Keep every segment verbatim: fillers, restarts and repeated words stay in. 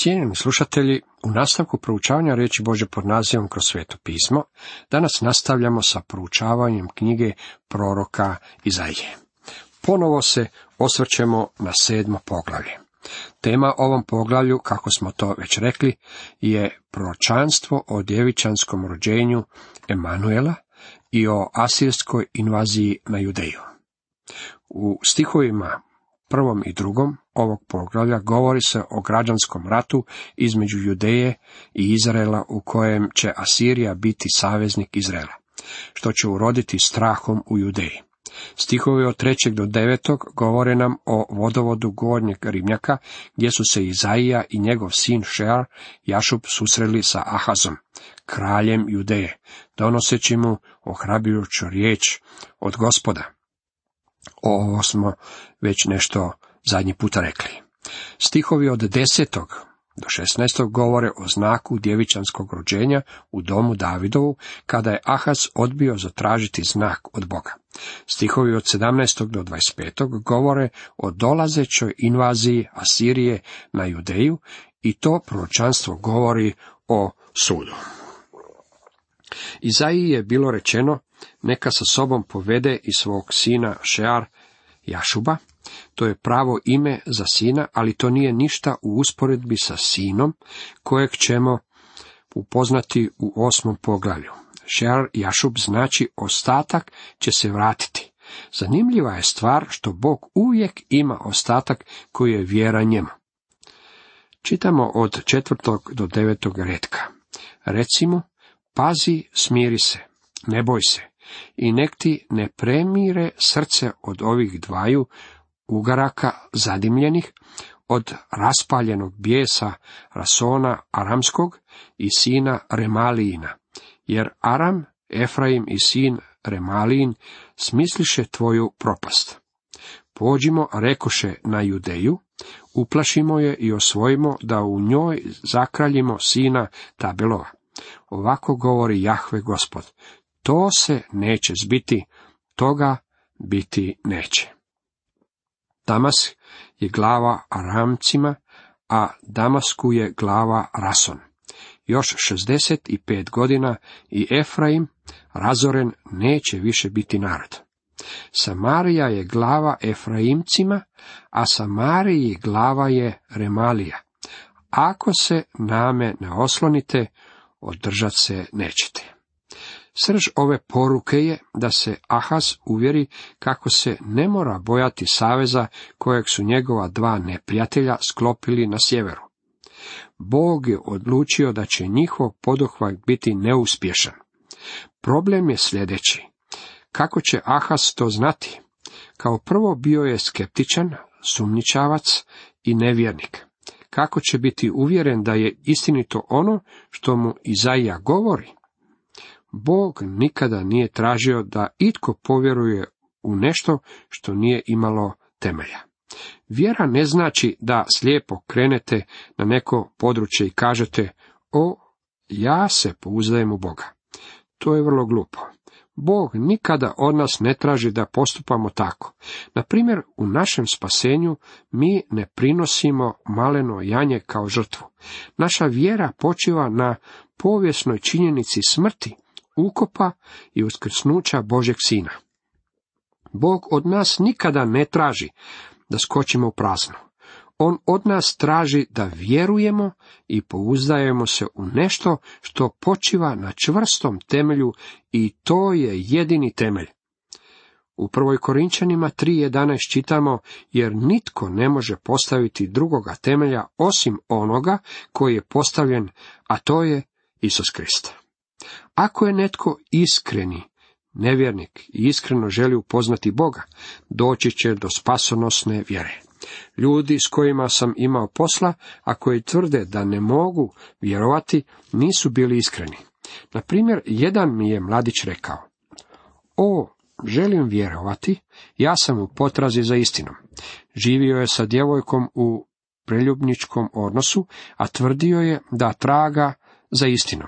Cijenjeni slušatelji, u nastavku proučavanja riječi Božje pod nazivom Kroz sveto pismo, danas nastavljamo sa proučavanjem knjige proroka Izaije. Ponovo se osvrćemo na sedmo poglavlje. Tema ovom poglavlju, kako smo to već rekli, je proročanstvo o djevičanskom rođenju Emanuela i o asirskoj invaziji na Judeju. U stihovima prvom i drugom ovog poglavlja govori se o građanskom ratu između Judeje i Izraela, u kojem će Asirija biti saveznik Izraela, što će uroditi strahom u Judeji. Stihovi od trećeg do devetog govore nam o vodovodu gornjeg ribnjaka, gdje su se Izaija i njegov sin Šear Jašub susreli sa Ahazom, kraljem Judeje, donoseći mu ohrabrujuću riječ od Gospoda. Ovo smo već nešto zadnji puta rekli. Stihovi od desetog do šesnaestog govore o znaku djevičanskog rođenja u domu Davidovu, kada je Ahaz odbio zatražiti znak od Boga. Stihovi od sedamnaestog do dvadeset petog govore o dolazećoj invaziji Asirije na Judeju i to proročanstvo govori o sudu. Izaiji je bilo rečeno, neka sa sobom povede i svog sina Šear Jašuba. To je pravo ime za sina, ali to nije ništa u usporedbi sa sinom, kojeg ćemo upoznati u osmom poglavlju. Šear Jašub znači ostatak će se vratiti. Zanimljiva je stvar što Bog uvijek ima ostatak koji je vjeran njemu. Čitamo od četvrtog do devetog retka. Recimo, pazi, smiri se, ne boj se, i nek ti ne premire srce od ovih dvaju ugaraka zadimljenih, od raspaljenog bijesa Rasona Aramskog i sina Remalijina, jer Aram, Efraim i sin Remalijin smisliše tvoju propast. Pođimo, rekoše, na Judeju, uplašimo je i osvojimo, da u njoj zakraljimo sina Tabelova. Ovako govori Jahve Gospod, to se neće zbiti, toga biti neće. Damas je glava Aramcima, a Damasku je glava Rason. Još šezdeset pet godina i Efraim, razoren, neće više biti narod. Samarija je glava Efraimcima, a Samariji glava je Remalija. Ako se name ne oslonite, održat se nećete. Srž ove poruke je da se Ahaz uvjeri kako se ne mora bojati saveza kojeg su njegova dva neprijatelja sklopili na sjeveru. Bog je odlučio da će njihov poduhvat biti neuspješan. Problem je sljedeći. Kako će Ahaz to znati? Kao prvo bio je skeptičan, sumnjičavac i nevjernik. Kako će biti uvjeren da je istinito ono što mu Izaija govori? Bog nikada nije tražio da itko povjeruje u nešto što nije imalo temelja. Vjera ne znači da slijepo krenete na neko područje i kažete, o, ja se pouzdajem u Boga. To je vrlo glupo. Bog nikada od nas ne traži da postupamo tako. Na primjer, u našem spasenju mi ne prinosimo maleno janje kao žrtvu. Naša vjera počiva na povijesnoj činjenici smrti, ukopa i uskrsnuća Božjeg sina. Bog od nas nikada ne traži da skočimo u prazno. On od nas traži da vjerujemo i pouzdajemo se u nešto što počiva na čvrstom temelju i to je jedini temelj. U prvoj Korinčanima tri jedanaest čitamo, jer nitko ne može postaviti drugoga temelja osim onoga koji je postavljen, a to je Isus Krist. Ako je netko iskreni nevjernik i iskreno želi upoznati Boga, doći će do spasonosne vjere. Ljudi s kojima sam imao posla, a koji tvrde da ne mogu vjerovati, nisu bili iskreni. Na primjer, jedan mi je mladić rekao, o, želim vjerovati, ja sam u potrazi za istinom. Živio je sa djevojkom u preljubničkom odnosu, a tvrdio je da traga za istinom.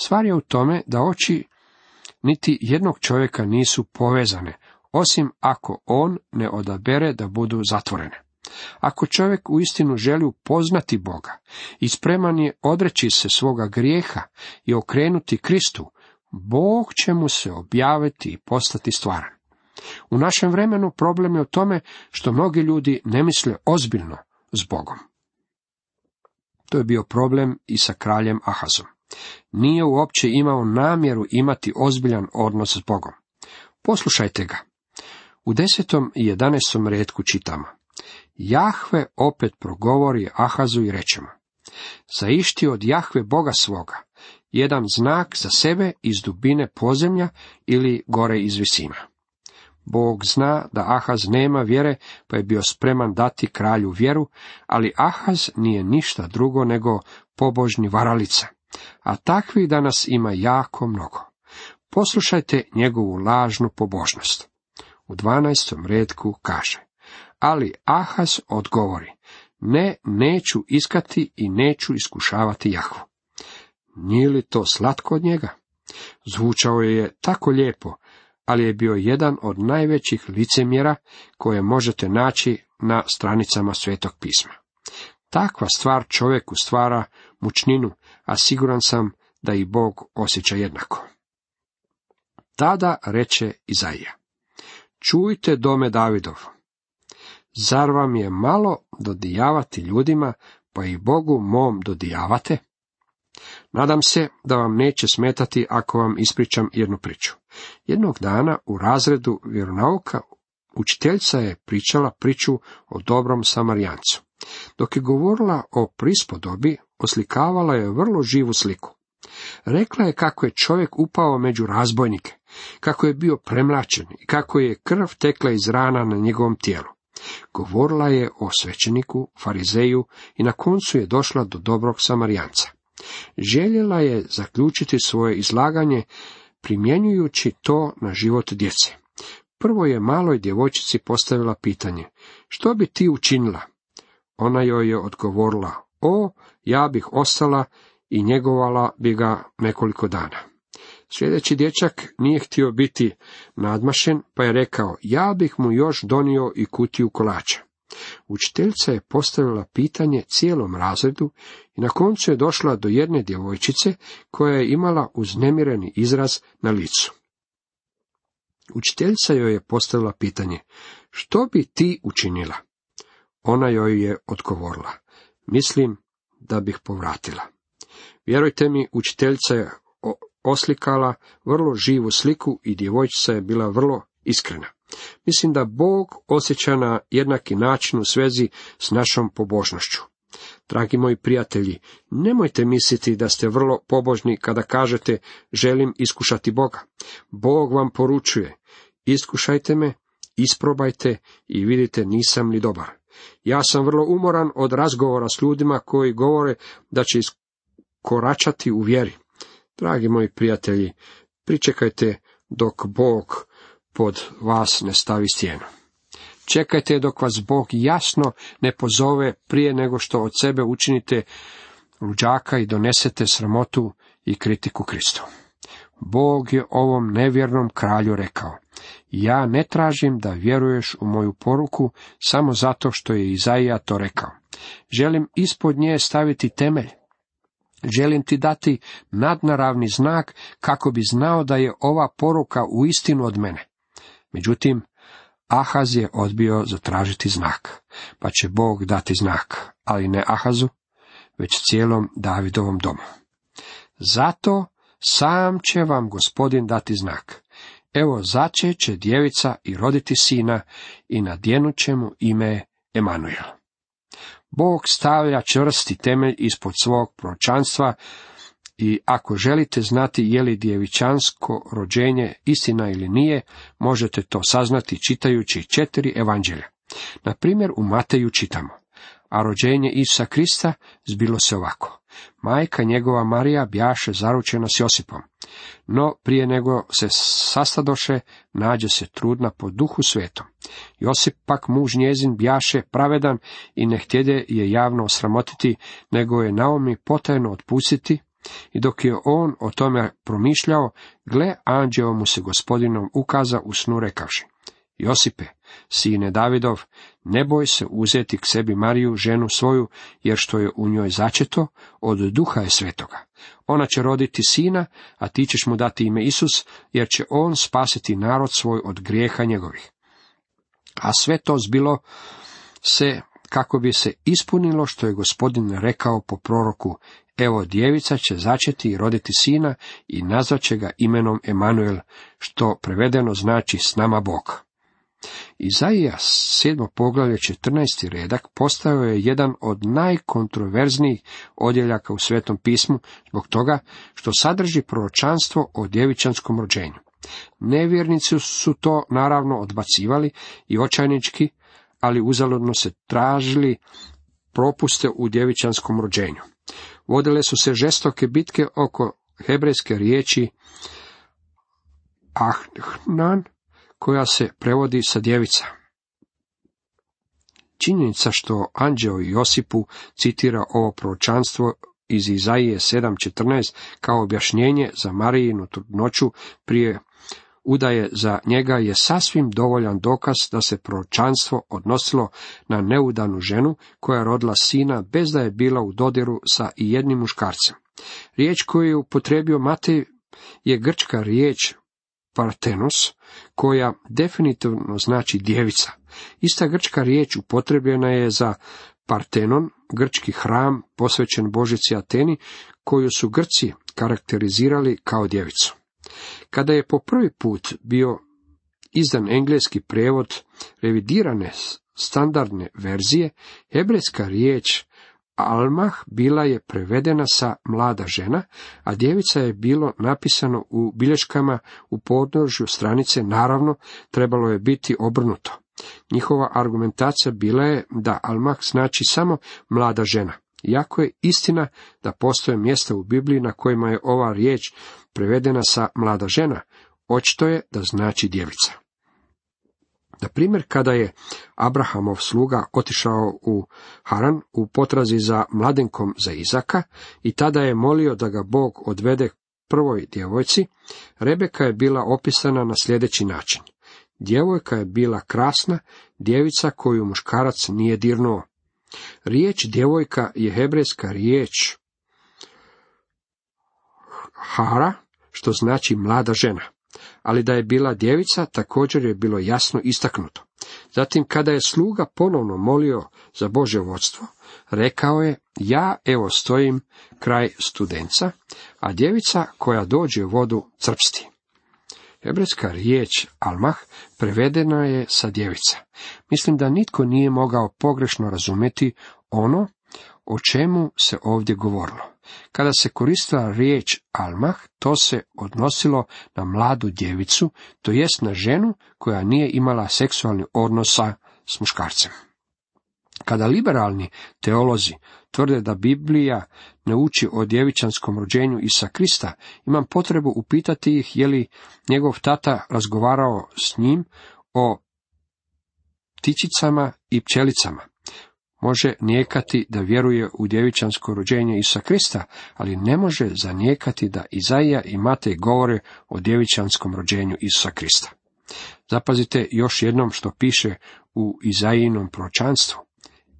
Stvar je u tome da oči niti jednog čovjeka nisu povezane, osim ako on ne odabere da budu zatvorene. Ako čovjek uistinu želi upoznati Boga i spreman je odreći se svoga grijeha i okrenuti Kristu, Bog će mu se objaviti i postati stvaran. U našem vremenu problem je u tome što mnogi ljudi ne misle ozbiljno s Bogom. To je bio problem i sa kraljem Ahazom. Nije uopće imao namjeru imati ozbiljan odnos s Bogom. Poslušajte ga. U desetom i jedanaestom retku čitamo: Jahve opet progovori Ahazu i reče mu: Zaišti od Jahve Boga svoga jedan znak za sebe iz dubine podzemlja ili gore iz visina. Bog zna da Ahaz nema vjere, pa je bio spreman dati kralju vjeru, ali Ahaz nije ništa drugo nego pobožni varalica, a takvih danas ima jako mnogo. Poslušajte njegovu lažnu pobožnost. U dvanaestom retku kaže: Ali Ahaz odgovori: Ne, neću iskati i neću iskušavati Jahvu. Nije li to slatko od njega? Zvučao je tako lijepo, ali je bio jedan od najvećih licemjera koje možete naći na stranicama Svetog pisma. Takva stvar čovjeku stvara mučninu, a siguran sam da i Bog osjeća jednako. Tada reče Izaija: Čujte, dome Davidov, zar vam je malo dodijavati ljudima, pa i Bogu mom dodijavate? Nadam se da vam neće smetati ako vam ispričam jednu priču. Jednog dana u razredu vjeronauka učiteljica je pričala priču o dobrom Samarijancu. Dok je govorila o prispodobi, oslikavala je vrlo živu sliku. Rekla je kako je čovjek upao među razbojnike, kako je bio premlačen i kako je krv tekla iz rana na njegovom tijelu. Govorila je o svećeniku, farizeju i na koncu je došla do dobrog Samarijanca. Željela je zaključiti svoje izlaganje primjenjujući to na život djece. Prvo je maloj djevojčici postavila pitanje: Što bi ti učinila? Ona joj je odgovorila: O, ja bih ostala i njegovala bi ga nekoliko dana. Sljedeći dječak nije htio biti nadmašen, pa je rekao: Ja bih mu još donio i kutiju kolača. Učiteljica je postavila pitanje cijelom razredu i na koncu je došla do jedne djevojčice koja je imala uznemireni izraz na licu. Učiteljica joj je postavila pitanje: Što bi ti učinila? Ona joj je odgovorila: Mislim da bih povratila. Vjerujte mi, učiteljica je oslikala vrlo živu sliku i djevojčica je bila vrlo iskrena. Mislim da Bog osjeća na jednaki način u svezi s našom pobožnošću. Dragi moji prijatelji, nemojte misliti da ste vrlo pobožni kada kažete: Želim iskušati Boga. Bog vam poručuje: Iskušajte me, isprobajte i vidite nisam li dobar. Ja sam vrlo umoran od razgovora s ljudima koji govore da će iskoračati u vjeri. Dragi moji prijatelji, pričekajte dok Bog pod vas ne stavi stijenu. Čekajte dok vas Bog jasno ne pozove prije nego što od sebe učinite luđaka i donesete sramotu i kritiku Kristu. Bog je ovom nevjernom kralju rekao: Ja ne tražim da vjeruješ u moju poruku samo zato što je Izaija to rekao. Želim ispod nje staviti temelj. Želim ti dati nadnaravni znak kako bi znao da je ova poruka uistinu od mene. Međutim, Ahaz je odbio zatražiti znak, pa će Bog dati znak, ali ne Ahazu, već cijelom Davidovom domu. Zato sam će vam Gospodin dati znak. Evo, začet će djevica i roditi sina i nadjenut će mu ime Emanuel. Bog stavlja čvrsti temelj ispod svog proročanstva i ako želite znati je li djevičansko rođenje istina ili nije, možete to saznati čitajući četiri evanđelja. Na primjer, u Mateju čitamo: A rođenje Isusa Krista zbilo se ovako. Majka njegova Marija bjaše zaručena s Josipom, no prije nego se sastadoše, nađe se trudna po duhu svetom. Josip pak muž njezin bjaše pravedan i ne htjede je javno osramotiti, nego je Naomi potajno otpustiti, i dok je on o tome promišljao, gle, anđeo mu se Gospodinom ukaza u snu rekavši: Josipe, sine Davidov, ne boj se uzeti k sebi Mariju, ženu svoju, jer što je u njoj začeto, od duha je svetoga. Ona će roditi sina, a ti ćeš mu dati ime Isus, jer će on spasiti narod svoj od grijeha njegovih. A sve to zbilo se kako bi se ispunilo što je Gospodin rekao po proroku: evo, djevica će začeti i roditi sina i nazvaće ga imenom Emanuel, što prevedeno znači s nama Bog. Izaija sedmo poglavlje četrnaesti redak postao je jedan od najkontroverznijih odjeljaka u Svetom pismu zbog toga što sadrži proročanstvo o djevičanskom rođenju. Nevjernici su to naravno odbacivali i očajnički, ali uzaludno se tražili propuste u djevičanskom rođenju. Vodile su se žestoke bitke oko hebrejske riječi Ahnan, koja se prevodi sa djevica. Činjenica što anđeo Josipu citira ovo proročanstvo iz Izaije sedam četrnaest kao objašnjenje za Marijinu trudnoću prije udaje za njega je sasvim dovoljan dokaz da se proročanstvo odnosilo na neudanu ženu koja je rodila sina bez da je bila u dodiru sa ijednim muškarcem. Riječ koju je upotrijebio Matej je grčka riječ partenos, koja definitivno znači djevica. Ista grčka riječ upotrebljena je za Partenon, grčki hram posvećen božici Ateni, koju su Grci karakterizirali kao djevicu. Kada je po prvi put bio izdan engleski prijevod revidirane standardne verzije, hebrejska riječ Almah bila je prevedena sa mlada žena, a djevica je bilo napisano u bilješkama u podnožju stranice, naravno trebalo je biti obrnuto. Njihova argumentacija bila je da Almah znači samo mlada žena, iako je istina da postoje mjesta u Bibliji na kojima je ova riječ prevedena sa mlada žena, očito je da znači djevica. Na primjer, kada je Abrahamov sluga otišao u Haran u potrazi za mladenkom za Izaka i tada je molio da ga Bog odvede prvoj djevojci, Rebeka je bila opisana na sljedeći način. Djevojka je bila krasna, djevica koju muškarac nije dirnuo. Riječ djevojka je hebrejska riječ Hara, što znači mlada žena. Ali da je bila djevica također je bilo jasno istaknuto. Zatim, kada je sluga ponovno molio za Božje vodstvo, rekao je: ja evo stojim kraj studenca, a djevica koja dođe u vodu crpsti. Hebrejska riječ Almah prevedena je sa djevica. Mislim da nitko nije mogao pogrešno razumjeti ono o čemu se ovdje govorilo. Kada se koristila riječ Almah, to se odnosilo na mladu djevicu, to jest na ženu koja nije imala seksualni odnosa s muškarcem. Kada liberalni teolozi tvrde da Biblija ne uči o djevičanskom rođenju Isusa Krista, imam potrebu upitati ih je li njegov tata razgovarao s njim o ptičicama i pčelicama. Može nijekati da vjeruje u djevičansko rođenje Isusa Krista, ali ne može zanijekati da Izaija i Matej govore o djevičanskom rođenju Isusa Krista. Zapazite još jednom što piše u Izaijinom proročanstvu.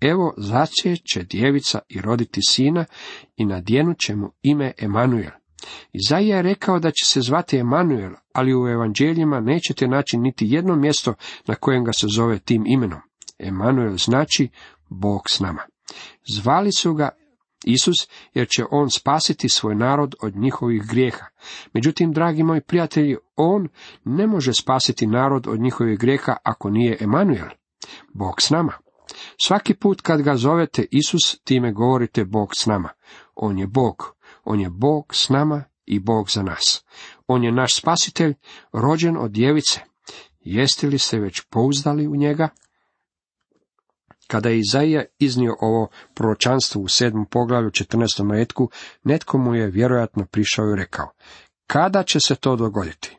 Evo, začet će djevica i roditi sina i nadjenut će mu ime Emanuel. Izaija je rekao da će se zvati Emanuel, ali u evanđeljima nećete naći niti jedno mjesto na kojem ga se zove tim imenom. Emanuel znači Bog s nama. Zvali su ga Isus jer će on spasiti svoj narod od njihovih grijeha. Međutim, dragi moji prijatelji, on ne može spasiti narod od njihovih grijeha ako nije Emanuel, Bog s nama. Svaki put kad ga zovete Isus, time govorite Bog s nama. On je Bog. On je Bog s nama i Bog za nas. On je naš spasitelj, rođen od djevice. Jeste li se već pouzdali u njega? Kada je Izaija iznio ovo proročanstvo u sedmom poglavlju četrnaestom retku, netko mu je vjerojatno prišao i rekao: kada će se to dogoditi?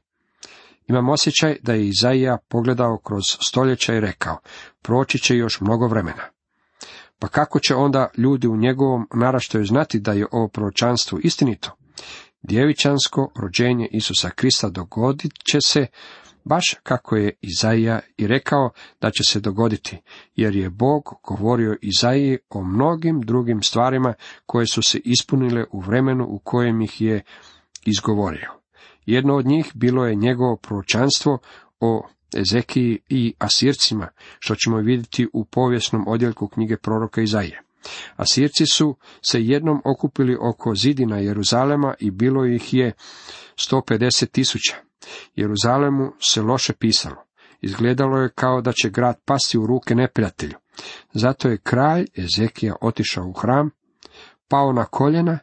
Imam osjećaj da je Izaija pogledao kroz stoljeća i rekao: proći će još mnogo vremena. Pa kako će onda ljudi u njegovom naraštaju znati da je ovo proročanstvo istinito? Djevičansko rođenje Isusa Krista dogodit će se baš kako je Izaija i rekao da će se dogoditi, jer je Bog govorio Izaiji o mnogim drugim stvarima koje su se ispunile u vremenu u kojem ih je izgovorio. Jedno od njih bilo je njegovo proročanstvo o Ezekiji i Asircima, što ćemo vidjeti u povijesnom odjeljku knjige proroka Izaije. Asirci su se jednom okupili oko zidina Jeruzalema i bilo ih je sto pedeset tisuća. Jeruzalemu se loše pisalo. Izgledalo je kao da će grad pasti u ruke neprijatelju. Zato je kralj Ezekija otišao u hram, pao na koljena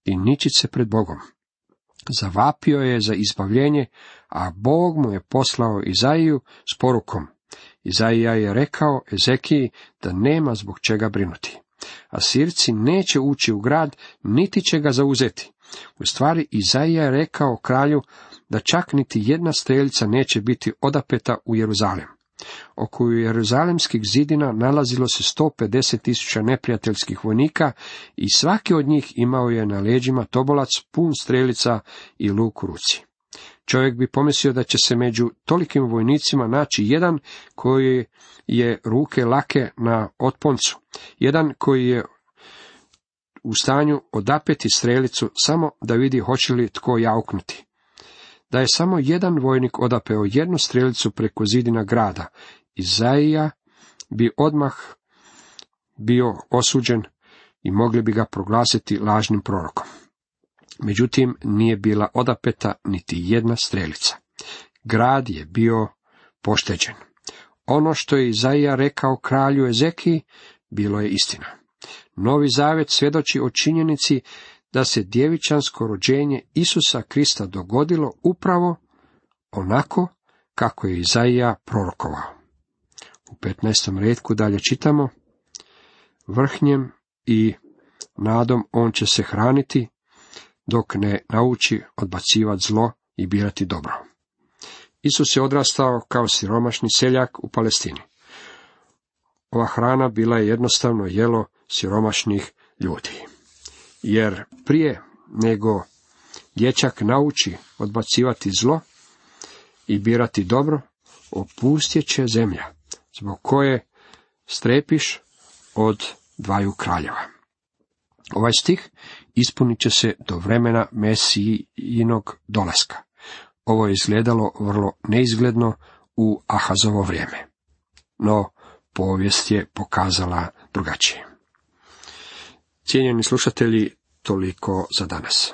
i ničit se pred Bogom. Zavapio je za izbavljenje, a Bog mu je poslao Izaiju s porukom. Izaija je rekao Ezekiji da nema zbog čega brinuti. Asirci neće ući u grad, niti će ga zauzeti. U stvari, Izaija je rekao kralju da čak niti jedna strelica neće biti odapeta u Jeruzalem. Oko jeruzalemskih zidina nalazilo se sto pedeset tisuća neprijateljskih vojnika i svaki od njih imao je na leđima tobolac pun strelica i luk u ruci. Čovjek bi pomislio da će se među tolikim vojnicima naći jedan koji je ruke lake na otponcu, jedan koji je u stanju odapeti strelicu samo da vidi hoće li tko jauknuti. Da je samo jedan vojnik odapeo jednu strelicu preko zidina grada, Izaija bi odmah bio osuđen i mogli bi ga proglasiti lažnim prorokom. Međutim, nije bila odapeta niti jedna strelica. Grad je bio pošteđen. Ono što je Izaija rekao kralju Ezekiji bilo je istina. Novi Zavet svjedoči o činjenici da se djevičansko rođenje Isusa Krista dogodilo upravo onako kako je Izaija prorokovao. U petnaestom retku dalje čitamo: vrhnjem i nadom on će se hraniti, dok ne nauči odbacivati zlo i birati dobro. Isus je odrastao kao siromašni seljak u Palestini. Ova hrana bila je jednostavno jelo siromašnih ljudi. Jer prije nego dječak nauči odbacivati zlo i birati dobro, opustjet će zemlja, zbog koje strepiš od dvaju kraljeva. Ovaj stih ispunit će se do vremena Mesijinog dolaska. Ovo je izgledalo vrlo neizgledno u Ahazovo vrijeme, no povijest je pokazala drugačije. Cijenjeni slušatelji, toliko za danas.